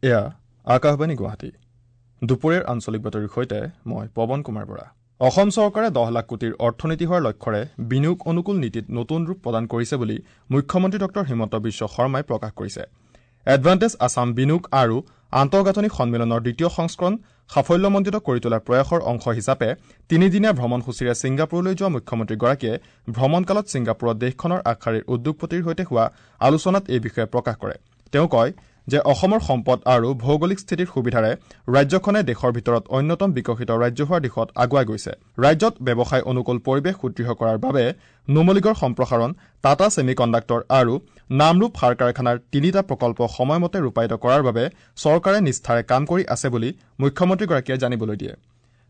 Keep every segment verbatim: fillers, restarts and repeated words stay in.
এয়া আকাশবাণী গুৱাহাটী। দুপৰীয়াৰ আঞ্চলিক বাতৰিৰ সৈতে মই পৱন কুমাৰ বৰা। অসম চৰকাৰে দহ লাখ কোটিৰ অৰ্থনীতি হোৱাৰ লক্ষ্যৰে বিনিয়োগ অনুকূল নীতিত নতুন ৰূপ প্ৰদান কৰিছে বুলি মুখ্যমন্ত্ৰী ডক্টৰ হিমন্ত বিশ্ব শৰ্মাই প্ৰকাশ কৰিছে। এডভান্টেজ আছাম বিনিয়োগ আৰু আন্তঃগাঁথনি সন্মিলনৰ দ্বিতীয় সংস্কৰণ সাফল্যমণ্ডিত কৰি তোলাৰ প্ৰয়াসৰ অংশ হিচাপে তিনিদিনীয়া ভ্ৰমণসূচীৰে ছিংগাপুৰলৈ যোৱা মুখ্যমন্ত্ৰীগৰাকীয়ে ভ্ৰমণকালত ছিংগাপুৰত দেশখনৰ আগশাৰীৰ উদ্যোগপতিৰ সৈতে হোৱা আলোচনাত এই বিষয়ে প্ৰকাশ কৰে। তেওঁ কয় যে অসমৰ সম্পদ আৰু ভৌগোলিক স্থিতিৰ সুবিধাৰে ৰাজ্যখনে দেশৰ ভিতৰত অন্যতম বিকশিত ৰাজ্য হোৱাৰ দিশত আগুৱাই গৈছে। ৰাজ্যত ব্যৱসায় অনুকূল পৰিৱেশ সুদৃঢ় কৰাৰ বাবে নুমলীগড় সম্প্ৰসাৰণ, টাটা ছেমি কণ্ডাক্টৰ আৰু নামৰূপ সাৰ কাৰখানাৰ তিনিটা প্ৰকল্প সময়মতে ৰূপায়িত কৰাৰ বাবে চৰকাৰে নিষ্ঠাৰে কাম কৰি আছে বুলি মুখ্যমন্ত্ৰীগৰাকীয়ে জানিবলৈ দিয়ে।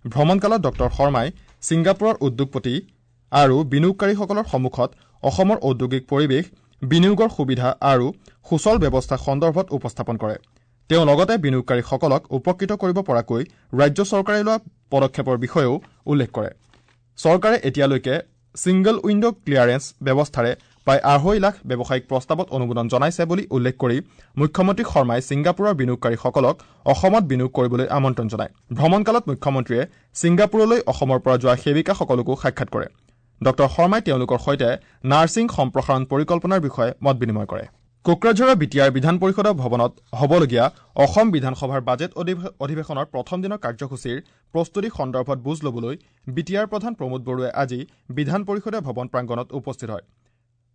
ভ্ৰমণকালত ডক্টৰ শৰ্মাই ছিংগাপুৰৰ উদ্যোগপতি আৰু বিনিয়োগকাৰীসকলৰ সন্মুখত অসমৰ ঔদ্যোগিক পৰিৱেশ, বিনিয়োগৰ সুবিধা আৰু সুচল ব্যৱস্থা সন্দৰ্ভত উপস্থাপন কৰে। তেওঁ লগতে বিনিয়োগকাৰীসকলক উপকৃত কৰিব পৰাকৈ ৰাজ্য চৰকাৰে লোৱা পদক্ষেপৰ বিষয়েও উল্লেখ কৰে। চৰকাৰে এতিয়ালৈকে ছিংগল উইণ্ড ক্লিয়াৰেন্স ব্যৱস্থাৰে প্ৰায় আঢ়ৈ লাখ ব্যৱসায়িক প্ৰস্তাৱত অনুমোদন জনাইছে বুলি উল্লেখ কৰি মুখ্যমন্ত্ৰী শৰ্মাই ছিংগাপুৰৰ বিনিয়োগকাৰীসকলক অসমত বিনিয়োগ কৰিবলৈ আমন্ত্ৰণ জনায়। ভ্ৰমণকালত মুখ্যমন্ত্ৰীয়ে ছিংগাপুৰলৈ অসমৰ পৰা যোৱা সেৱিকাসকলকো সাক্ষাৎ কৰে। ডক্টৰ শৰ্মাই তেওঁলোকৰ সৈতে নাৰ্ছিং সম্প্ৰসাৰণ পৰিকল্পনাৰ বিষয়ে মত বিনিময় কৰে। কোকৰাঝাৰৰ বি টি আৰ বিধান পৰিষদৰ ভৱনত হ'বলগীয়া অসম বিধানসভাৰ বাজেট অধিৱেশনৰ প্ৰথম দিনৰ কাৰ্যসূচীৰ প্ৰস্তুতি সন্দৰ্ভত বুজ ল'বলৈ বি টি আৰ প্ৰধান প্ৰমোদ বড়োৱে আজি বিধান পৰিষদৰ ভৱন প্ৰাংগণত উপস্থিত হয়।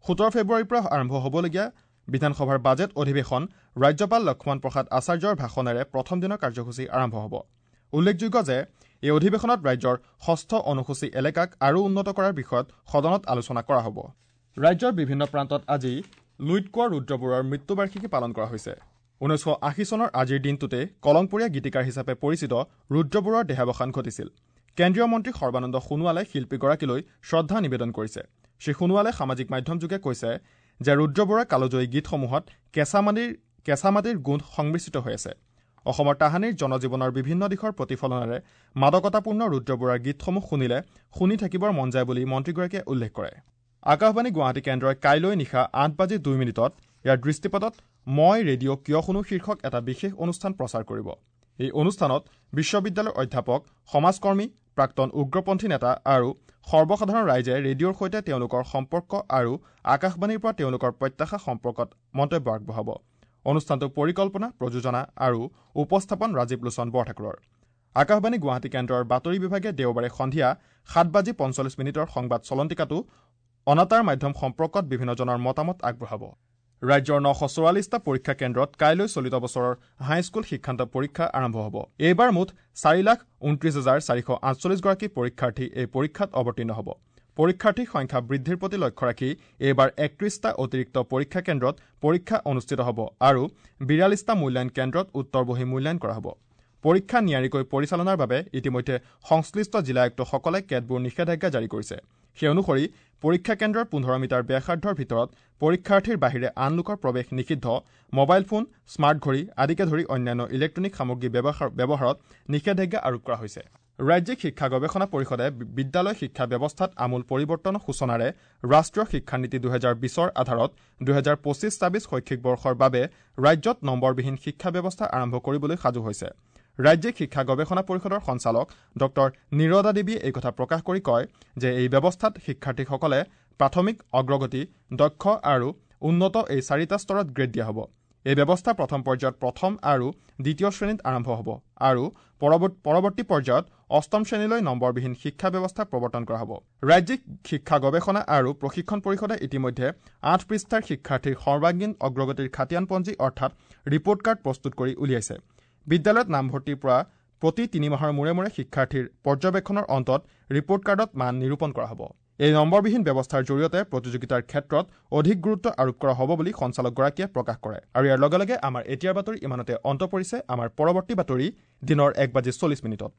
সোতৰ ফেব্ৰুৱাৰীৰ পৰা আৰম্ভ হ'বলগীয়া বিধানসভাৰ বাজেট অধিৱেশন ৰাজ্যপাল লক্ষ্মণ প্ৰসাদ আচাৰ্যৰ ভাষণেৰে প্ৰথম দিনৰ কাৰ্যসূচী আৰম্ভ হ'ব। উল্লেখযোগ্য যে এই অধিৱেশনত ৰাজ্যৰ ষষ্ঠ অনুসূচী এলেকাক আৰু উন্নত কৰাৰ বিষয়ত সদনত আলোচনা কৰা হ'ব। ৰাজ্যৰ বিভিন্ন প্ৰান্তত আজি লুইত কোঁৱৰ ৰুদ্ৰ বৰুৱাৰ মৃত্যুবাৰ্ষিকী পালন কৰা হৈছে। ঊনৈছশ আশী চনৰ আজিৰ দিনটোতে কলংপৰীয়া গীতিকাৰ হিচাপে পৰিচিত ৰুদ্ৰ বৰুৱাৰ দেহাৱসান ঘটিছিল। কেন্দ্ৰীয় মন্ত্ৰী সৰ্বানন্দ সোণোৱালে শিল্পীগৰাকীলৈ শ্ৰদ্ধা নিবেদন কৰিছে। শ্ৰী সোণোৱালে সামাজিক মাধ্যমযোগে কৈছে যে ৰুদ্ৰ বৰুৱাৰ কালজয়ী গীতসমূহত কেঁচা মাটিৰ কেঁচা মাটিৰ গোন্ধ সংমিশ্ৰিত হৈ আছে। অসমৰ তাহানিৰ জনজীৱনৰ বিভিন্ন দিশৰ প্ৰতিফলনেৰে মাদকতাপূৰ্ণ ৰুদ্ৰ বৰুৱাৰ গীতসমূহ শুনিলে শুনি থাকিবৰ মন যায় বুলি মন্ত্ৰীগৰাকীয়ে উল্লেখ কৰে। আকাশবাণী গুৱাহাটী কেন্দ্ৰই কাইলৈ নিশা আঠ বাজি দুই মিনিটত ইয়াৰ দৃষ্টিপাতত মই ৰেডিঅ' কিয় শুনো শীৰ্ষক এটা বিশেষ অনুষ্ঠান প্ৰচাৰ কৰিব। এই অনুষ্ঠানত বিশ্ববিদ্যালয়ৰ অধ্যাপক, সমাজকৰ্মী, প্ৰাক্তন উগ্ৰপন্থী নেতা আৰু সৰ্বসাধাৰণ ৰাইজে ৰেডিঅ'ৰ সৈতে তেওঁলোকৰ সম্পৰ্ক আৰু আকাশবাণীৰ পৰা তেওঁলোকৰ প্ৰত্যাশা সম্পৰ্কত মন্তব্য আগবঢ়াব। অনুষ্ঠানটোৰ পৰিকল্পনা, প্ৰযোজনা আৰু উপস্থাপন ৰাজীৱ লোচন বৰঠাকুৰৰ। আকাশবাণী গুৱাহাটী কেন্দ্ৰৰ বাতৰি বিভাগে দেওবাৰে সন্ধিয়া সাত বাজি পঞ্চল্লিছ মিনিটৰ সংবাদ চলন্তিকাটো অনাতাঁৰ মাধ্যম সম্পৰ্কত বিভিন্নজনৰ মতামত আগবঢ়াব। ৰাজ্যৰ নশ চৌৰাল্লিছটা পৰীক্ষা কেন্দ্ৰত কাইলৈ চলিত বছৰৰ হাইস্কুল শিক্ষান্ত পৰীক্ষা আৰম্ভ হ'ব। এইবাৰ মুঠ চাৰি লাখ ঊনত্ৰিছ হাজাৰ চাৰিশ আঠচল্লিছগৰাকী পৰীক্ষাৰ্থী এই পৰীক্ষাত অৱতীৰ্ণ হ'ব। পৰীক্ষাৰ্থীৰ সংখ্যা বৃদ্ধিৰ প্ৰতি লক্ষ্য ৰাখি এইবাৰ একত্ৰিছটা অতিৰিক্ত পৰীক্ষা কেন্দ্ৰত পৰীক্ষা অনুষ্ঠিত হ'ব আৰু বিৰাল্লিছটা মূল্যায়ন কেন্দ্ৰত উত্তৰ বহী মূল্যায়ন কৰা হ'ব। পৰীক্ষা নিয়াৰিকৈ পৰিচালনাৰ বাবে ইতিমধ্যে সংশ্লিষ্ট জিলা আয়ুক্তসকলে কেতবোৰ নিষেধাজ্ঞা জাৰি কৰিছে। সেই অনুসৰি পৰীক্ষা কেন্দ্ৰৰ পোন্ধৰ মিটাৰ ব্যাসাৰ্ধৰ ভিতৰত পৰীক্ষাৰ্থীৰ বাহিৰে আন লোকৰ প্ৰৱেশ নিষিদ্ধ, মোবাইল ফোন, স্মাৰ্ট ঘড়ী আদিকে ধৰি অন্যান্য ইলেক্ট্ৰনিক সামগ্ৰী ব্যৱহাৰত নিষেধাজ্ঞা আৰোপ কৰা হৈছে। ৰাজ্যিক শিক্ষা গৱেষণা পৰিষদে বিদ্যালয় শিক্ষা ব্যৱস্থাত আমূল পৰিৱৰ্তনৰ সূচনাৰে ৰাষ্ট্ৰীয় শিক্ষানীতি দুহেজাৰ বিছৰ আধাৰত দুহেজাৰ পঁচিছ ছাব্বিছ শৈক্ষিক বৰ্ষৰ বাবে ৰাজ্যত নম্বৰবিহীন শিক্ষা ব্যৱস্থা আৰম্ভ কৰিবলৈ সাজু হৈছে। ৰাজ্যিক শিক্ষা গৱেষণা পৰিষদৰ সঞ্চালক ডক্টৰ নিৰদা দেৱীয়ে এই কথা প্ৰকাশ কৰি কয় যে এই ব্যৱস্থাত শিক্ষাৰ্থীসকলে প্ৰাথমিক, অগ্ৰগতি, দক্ষ আৰু উন্নত এই চাৰিটা স্তৰত গ্ৰেড দিয়া হ'ব। এই ব্যৱস্থা প্ৰথম পৰ্যায়ত প্ৰথম আৰু দ্বিতীয় শ্ৰেণীত আৰম্ভ হ'ব আৰু পৰৱৰ্তী পৰ্যায়ত অষ্টম শ্ৰেণীলৈ নম্বৰবিহীন শিক্ষা ব্যৱস্থা প্ৰৱৰ্তন কৰা হ'ব। ৰাজ্যিক শিক্ষা গৱেষণা আৰু প্ৰশিক্ষণ পৰিষদে ইতিমধ্যে আঠ পৃষ্ঠাৰ শিক্ষাৰ্থীৰ সৰ্বাংগীন অগ্ৰগতিৰ খাতিয়ানপঞ্জী অৰ্থাৎ ৰিপৰ্ট কাৰ্ড প্ৰস্তুত কৰি উলিয়াইছে। বিদ্যালয়ত নামভৰ্তিৰ পৰা প্ৰতি তিনি মাহৰ মূৰে মূৰে শিক্ষাৰ্থীৰ পৰ্যবেক্ষণৰ অন্তত ৰিপৰ্ট কাৰ্ডত মান নিৰূপণ কৰা হ'ব। এই নম্বৰবিহীন ব্যৱস্থাৰ জৰিয়তে প্ৰতিযোগিতাৰ ক্ষেত্ৰত অধিক গুৰুত্ব আৰোপ কৰা হ'ব বুলি সঞ্চালকগৰাকীয়ে প্ৰকাশ কৰে। আৰু ইয়াৰ লগে লগে আমাৰ এতিয়াৰ বাতৰি ইমানতে অন্ত পৰিছে। আমাৰ পৰৱৰ্তী বাতৰি দিনৰ এক বাজি চল্লিছ মিনিটত।